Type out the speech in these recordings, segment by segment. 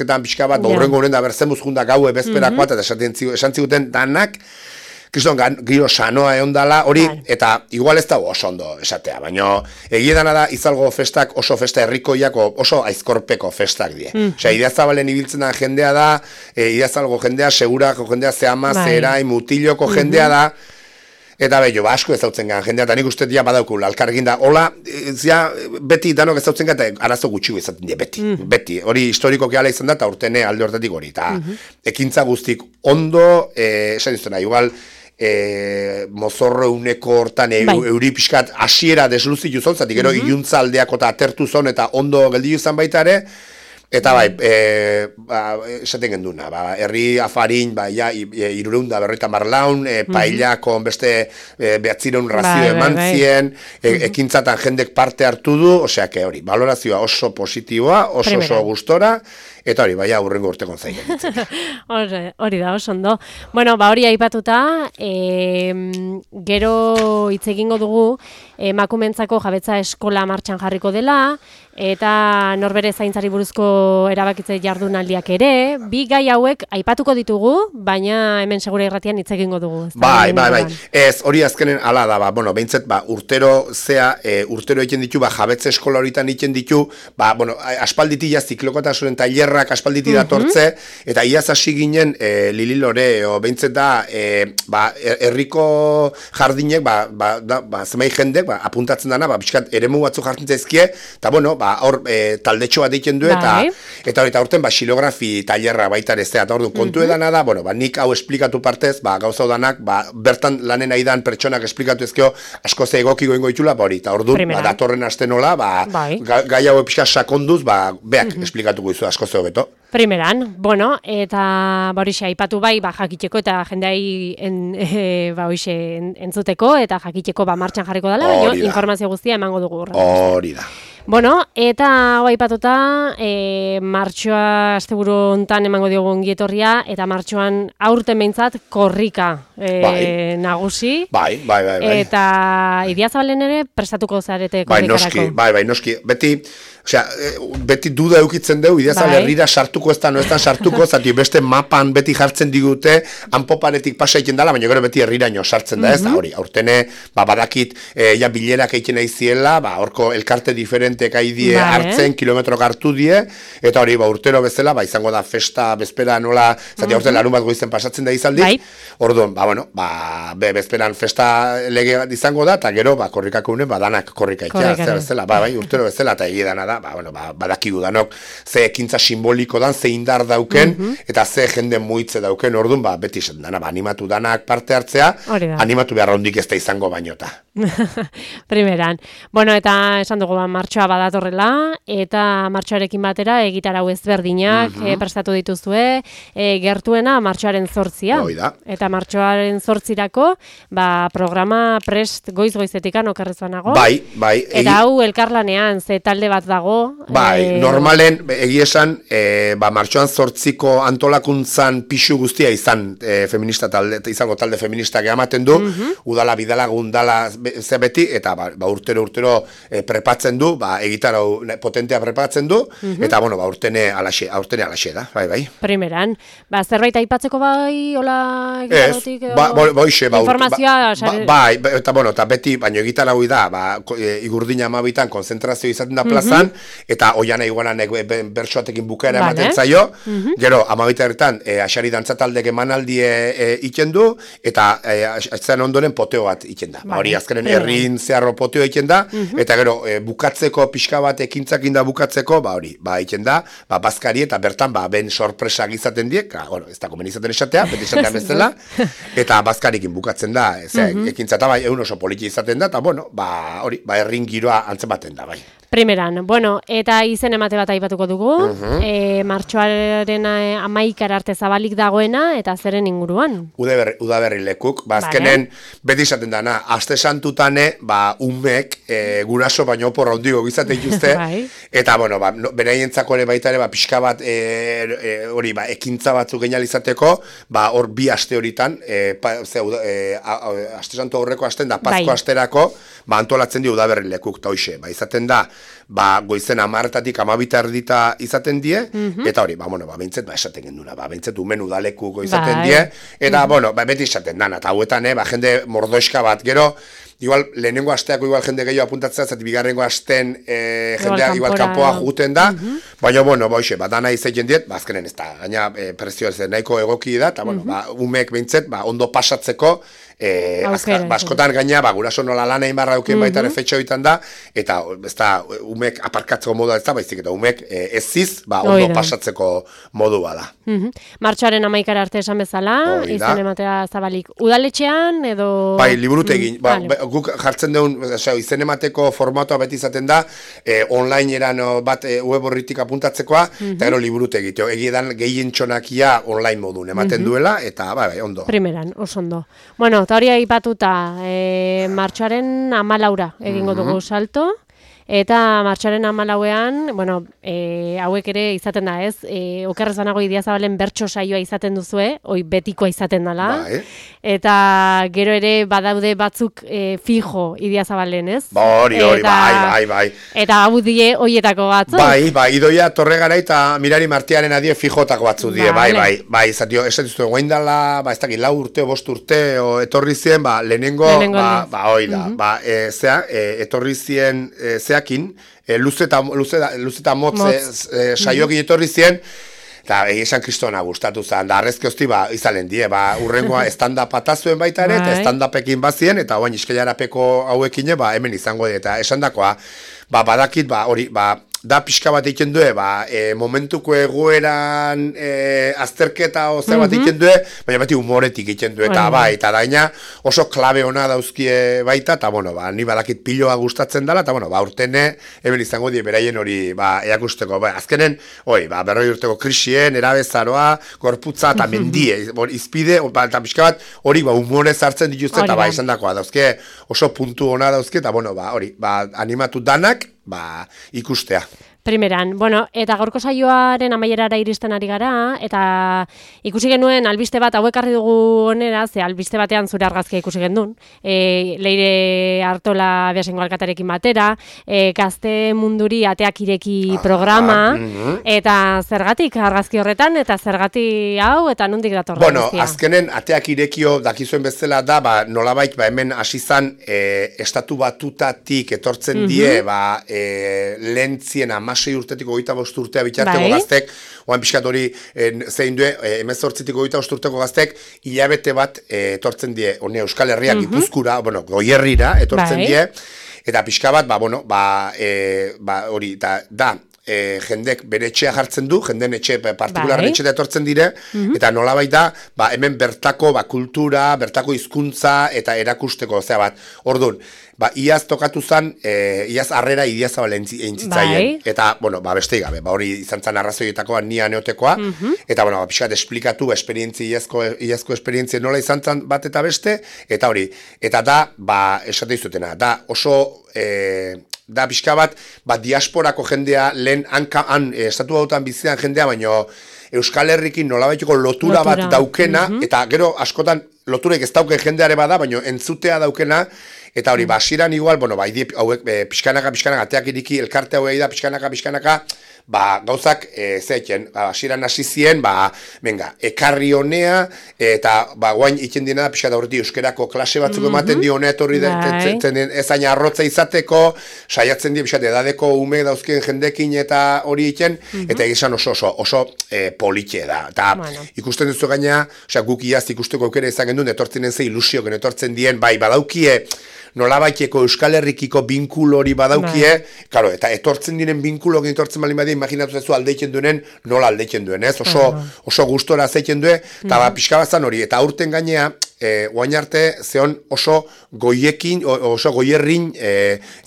ketan pixka bat, horrengo honen da berzemuz junda gaue bezperakoa, eta esan ziguten danak, kriston giro sanoa egon dala, hori, eta igual ez da oso ondo esatea, baina egiedana da izalgo festak oso festa herrikoiak oso aizkorpeko festak die. Osea, Idiazabalen ibiltzen da jendea da, Idiazalgo jendea, segurako jendea, zehama, zerai, mutiloko jendea da, eta bello, asko ezautzen gan jendea, eta nik uste dia badaukul, alkargin da, hola, beti danok ezautzen gan, eta arazo gutxi izaten die, beti, hori historiko gehala izan da, eta urtene alde hortatik hori, eta ekintza guztik ondo, esan iztena, igual, mozorro uneko hortan euri pixkat asiera desluzitu zon, zatik gero iluntza aldeako eta atertu zon, eta ondo gelditu izan baita ere, eta bai, esaten genduna, herri afarin, irureunda berroita marlaun, paillako beste behatzireun razio eman zien, ekintzatan jendek parte hartu du, osea, hori, valorazioa oso positiboa, oso gustora, eta hori, baina urrengo urtekon zaigen. Hori da, oso ondo. Bueno, hori aipatuta, gero hitz egingo dugu, emakumentzako jabetza eskola martxan jarriko dela, eta norbere zaintzari buruzko erabakitze jardunaldiak ere, bi gai hauek aipatuko ditugu, baina hemen segura irratian hitz egingo dugu. Bai. Ez, hori azkenen ala da, behintzet, urtero egiten ditu, jabetza eskola horitan egiten ditu, aspalditi ziklokotasunen tailerrak aspalditi datortze, eta iaz hasi ginen Lililore, behintzet da, herriko jardinek, zemai jendek, apuntatzen dana, pixkat eremu batzu jartzen zaizkie, eta hor taldetxo bat egiten du, eta horten xilografi tailerra baita ez da, eta hor du, kontu edana da, nik hau esplikatu partez, gauza danak, bertan lanen aidan pertsonak esplikatu ezkeo, asko ze egokiko ingo itxula, eta hor du, datorren aste nola, gai hau pixka sakonduz, beak esplikatuko izu asko ze hobeto. Primeran, eta horixe aipatu jakiteko eta jendeai entzuteko eta jakiteko martxan jarriko dela, baina informazio guztia emango dugu. Hori da. Eta aipatuta, martxoa asteburu hontan emango diogu ongietorria, eta martxoan aurten behintzat korrika nagusi. Bai. Eta Idiazabalen ere prestatuko zarete korrikarako. Bai, noski. Beti duda eukitzen dugu, Idiazabal herrira sartuko ez da sartuko, zati beste mapan beti jartzen digute, hanpoparetik pasa egiten dela, baina gero beti herriraino sartzen da ez, hori, aurtene, badakit, bilerak egiten nahi ziela, horko elkarte diferentek haidie hartzen, kilometrok hartu die, eta hori, urtero bezala, izango da festa, bezpera nola, zati aurten larun bat goizen pasatzen da izaldi, orduan, bezperan festa lege izango da, eta gero, korrikako unen, danak korrika ikia, bezala, urtero bezala, eta egidana da, badakigu danok, ze ekintza simboliko dan, ze indar dauken, eta ze jende muitze dauken, orduan, beti esan dana, animatu danak parte hartzea, animatu behar hondik ez da izango bainota. Primeran. Eta esan dugu, martxoa badatorrela, eta martxoarekin batera egitarau ezberdinak prestatu dituzue, gertuena martxoaren 8a. Eta martxoaren 8irako, programa prest goiz-goizetikan okerrezbanago. Bai. Eta hau elkarlanean, ze talde bat dago. Normalen, egiesan, martxoan 8ko antolakuntzan pixu guztia izan feminista talde, izango talde feministak ematen du, udala, bidala, gundala, ze beti, eta urtero prepatzen du, egitarau potentea prepatzen du, eta urtene alaxe da, bai. Primeran, zerbait aipatzeko hola egitarotik? Informazioa? Eta beti, baina egitarau da, Igurdina amabitan konzentrazio izaten da plazan, eta oiana iguanan bertsoatekin bukaera ematen zaio, gero, amabita ertan, asari dantzataldek emanaldie iten du, eta atzaren ondoren poteo bat iten da. Hori azkenen herrin zeharro poteo iten da, eta gero, bukatzeko pixka bat ekintzakin da bukatzeko, hori, iten da, bazkari eta bertan, ben sorpresak izaten diek, ez da komen izaten esatea, beti esatea bezala, eta bazkarikin bukatzen da, ekintza eta egun oso politi izaten da, eta hori, herrin giroa antzematen da, bai. Primeran, eta izen emate bat aipatuko dugu, martxoaren 11 arte zabalik dagoena, eta zeren inguruan? Udaberri lekuk, azkenen beti izaten dana, aste santutane, umek, guraso baino oporra hondigo gizate dituzte, eta, beraientzako ere baita ere, pixka bat, hori, ekintza batzuk genial izateko, hor bi aste horitan, aste santu aurreko asten da, Pasko asterako, antolatzen dio Udaberri lekuk, eta hoxe, izaten da, goizen 10:00-tatik 12:30 izaten die, eta hori, behintzet, esaten genduna, behintzet umen udalekuko izaten die, eta, beti esaten dana, eta hauetan, jende mordoiska bat, gero, igual, lehenengo asteako igual jende gehiago apuntatzea, zati bigarrengo asten jendea igual kanpoa juguten da, baina, dana izaiten diet, azkenen ez da, gaina prezioa ez nahiko egoki da, eta, umek behintzet, ondo pasatzeko, askotan gaina, guraso nola lan egin barra duken baita efetxo egiten da, eta ez da, umek aparkatzeko modua ez da, baizik, eta umek eziz, ondo pasatzeko modua da. Martxoaren 11 arte esan bezala, izan ematea zabalik. Udaletxean, edo... Bai, liburutegin, guk jartzen dugun, izen emateko formatoa beti izaten da, online eran bat web horritik apuntatzekoa, eta gero liburutegi, egiedan gehien txonakia online modun ematen duela, eta ondo. Primeran, oso ondo. Bueno, eta hori aipatuta, martxoaren 14 egingo dugu salto, eta martxoaren 14ean, hauek ere izaten da ez, okerrezanago Idiazabalen bertso saioa izaten duzue, hoi betikoa izaten dela, eta gero ere badaude batzuk fijo Idiazabalen, ez? Hori, bai. Eta hau die hoietako batzuk? Bai, Idoia Torregara eta Mirari Martiaren adie fijotako batzu die, bai, izatio, esatiztu, guain dela, ez dakit, 4 urte, 5 urte, etorri zien, lehenengo, hoi da, etorri zien, luze eta motz saioki etorri zien, eta esan kristona gustatu zen, da arrezke hosti izalen die, urrengoa stand-up atazuen baita ere, eta stand-upekin bazien, eta oain iskailarapeko hauekin, hemen izango eta esan dakoa, badakit, hori, da pixka bat egiten due, momentuko egoeran azterketa oza bat egiten due, baina beti humoretik egiten due, eta eta daina oso klabe ona dauzkie baita, eta ni badakit piloa gustatzen dela, eta urtene, hemen izango die beraien hori eakusteko, azkenen, berroi urteko krisien, erabezaroa, gorputza, eta mendie, izpide, eta pixka bat, hori humorez hartzen dituzte, eta izan dakoa, dauzke oso puntu ona dauzke, eta hori, animatu danak, ikustea. Primeran, eta gaurko saioaren amaierara iristen ari gara, eta ikusi genuen albiste bat, hauek harri dugu onera, ze albiste batean zure argazkia ikusi gendun, Leire Artola Beasengo alkatarekin batera, Gazte Munduri ateak ireki programa, eta zergatik argazki horretan, eta zergatik hau, eta nondik dator guztia? Azkenen ateak irekio dakizuen bezala da, nolabait hemen hasizan estatu batutatik etortzen die, lentzien 16 urtetik 25 urtea bitarteko gaztek, oan pixkat hori zein due, 18tik 25 urteko gaztek, hilabete bat etortzen die, Euskal Herriak Gipuzkura, Goierrira etortzen die, eta pixka bat, hori, da, jendek bere etxea jartzen du, jenden etxe partikularren etxea etortzen dire, eta nolabait da, hemen bertako kultura, bertako hizkuntza eta erakusteko, orduan, iaz tokatu zen, iaz harrera Idiazabal eintzitzaien, eta, beste gabe, hori izan zen arrazoietakoa nia neotekoa, eta, pixkat esplikatu, iazko esperientzia nola izan zen bat eta beste, eta hori, eta da, esate izutena, da oso, da pixka bat, diasporako jendea, lehen estatu hautan bizidan jendea, baino Euskal Herrikin nolabaiteko lotura bat daukena, eta gero askotan loturek ez dauken jendeare bada, baino entzutea daukena, eta hori, hasieran igual, hauek pixkanaka, ateak iriki, elkarte hauei da, pixkanaka, gauzak, hasieran hasi zien, ekarri honea, eta guain iten dina da, pixka da horreti euskerako klase batzuk ematen di honea etorri ezain arrotza izateko, saiatzen di, pixka, edadeko ume dauzken jendekin eta hori iten, eta egizan oso politxe da. Eta ikusten duzu gaina, guk iaz ikusteko aukera izan gendun, etortzenen ze ilusioken etortzen dien, badaukie, nolabaiteko Euskal Herrikiko binkulo hori badaukie, eta etortzen diren binkulokin etortzen bali badia, imaginatu zezu aldeitzen duenen, nola aldeitzen duen, ez? Oso gustora zeitzen duen, eta pixka bazan hori, eta aurten gainea, guain arte, zeon oso goiekin, oso goierrin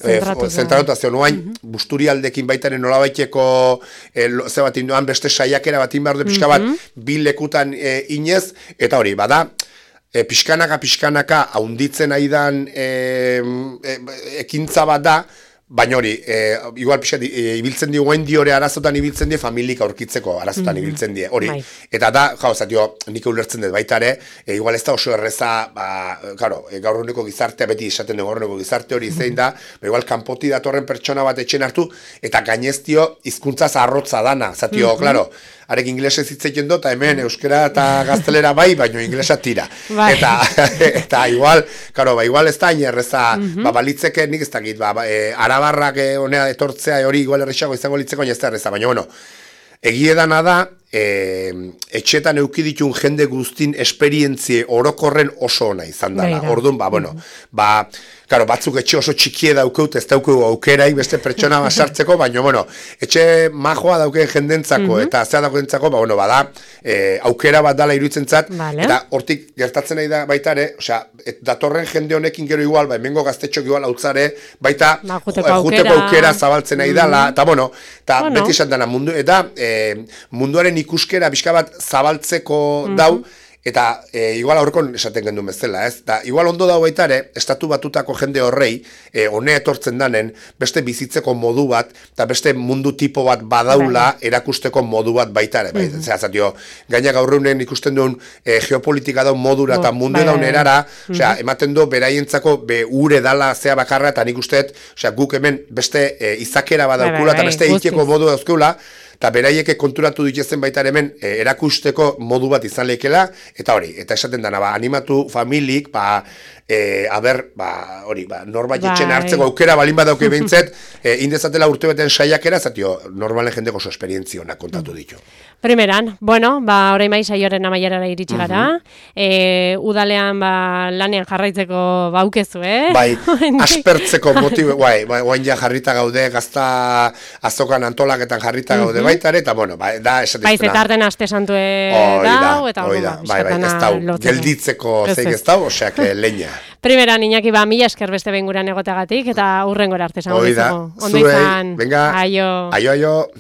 zentratuta, zeon guain busturialdekin baitaren nolabaiteko ze bat induan beste saiakera bat inbar du pixka bat, bi lekutan inez, eta hori, bada, pixkanaka haunditzen aidan ekintza bat da, baina hori, igual pixat, ibiltzen di guen di hori arazotan ibiltzen die, familik aurkitzeko arazotan ibiltzen die, hori. Eta da, zatio, nik ulertzen dut baita ere, igual ez da oso erreza, claro, gaur eguneko gizartea, beti esaten gaur eguneko gizarte hori zein da, igual kanpoti datorren pertsona bat etxen hartu, eta gaineztio hizkuntza zarrotza dana, zatio, claro, arek inglesez hitz egiten dut, eta hemen euskera eta gaztelera bai, baino inglesa tira. Eta igual, claro, igual ez da inerreza, balitzeke nik ez dakit, arabarrak honea etortzea hori igual errexago izango litzeko, ez da erreza, baina bueno, egiedana da, etxetan eukiditun jende guztin esperientzie orokorren oso ona izan dela. Orduan, claro, batzuk etxe oso txikie daukeut, ez daukeu aukerai beste pertsona basartzeko, baina, bueno, etxe majoa daukeen jendentzako, eta zea daukentzako, bada, aukera bat dala iruditzen zat, eta hortik gertatzen nahi da baita ere, osea, datorren jende honekin gero igual, hemengo gaztetxok igual hautzare, baita, juteko aukera zabaltzen nahi dala, eta, bueno, eta beti esan dena mundu, eta munduaren ikuskera bizka bat zabaltzeko dau, eta igual aurrekon esaten gendun bezala, ez? Da, igual ondo dago baita ere, estatu batutako jende horrei, honea etortzen danen, beste bizitzeko modu bat, eta beste mundu tipo bat badaula erakusteko modu bat baita ere. Zera, zatio, gaina gaur egunen ikusten duen geopolitika daun modura eta mundu daun erara, ematen du beraientzako ure dala zea bakarra, eta nik usteet, guk hemen beste izakera badaukula, eta beste ikeko modu dauzkeula, eta beraieke konturatu ditezen baita hemen erakusteko modu bat izan lehikela, eta hori, eta esaten dana, animatu familik, norbait etxen hartzeko aukera balin badauke behintzet, indezatela urte beten saiakera, zatio, normalen jendeko oso esperientzionak kontatu ditu. Primeran, bueno, orain bai saioaren amaierara iritsi gara, udalean lanean jarraitzeko baukezu, Bai, aspertzeko motibo, guain ja jarrita gaude, gazta azokan antolaketan jarrita gaude baita ere, eta bueno, da esatiztena. Bai, zetarten aste santue dau, eta ez dau, gelditzeko zeik ez dau, oseak leña. Primeran, Iñaki, mila esker beste behin guran egoteagatik, eta hurrengora arte esango dizugu. Ondo izan, aio.